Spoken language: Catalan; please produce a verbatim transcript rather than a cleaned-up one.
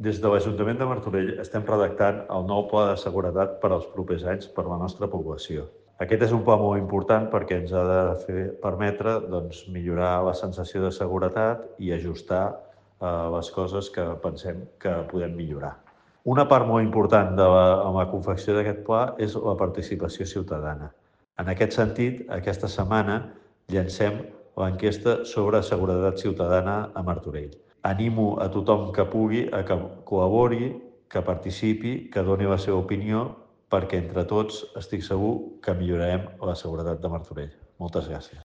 Des de l'Ajuntament de Martorell estem redactant el nou pla de seguretat per als propers anys per a la nostra població. Aquest és un pla molt important perquè ens ha de fer, permetre doncs, millorar la sensació de seguretat i ajustar eh, les coses que pensem que podem millorar. Una part molt important de la, en la confecció d'aquest pla és la participació ciutadana. En aquest sentit, aquesta setmana llancem l'enquesta sobre seguretat ciutadana a Martorell. Animo a tothom que pugui a que col·labori, que participi, que doni la seva opinió, perquè entre tots estic segur que millorarem la seguretat de Martorell. Moltes gràcies.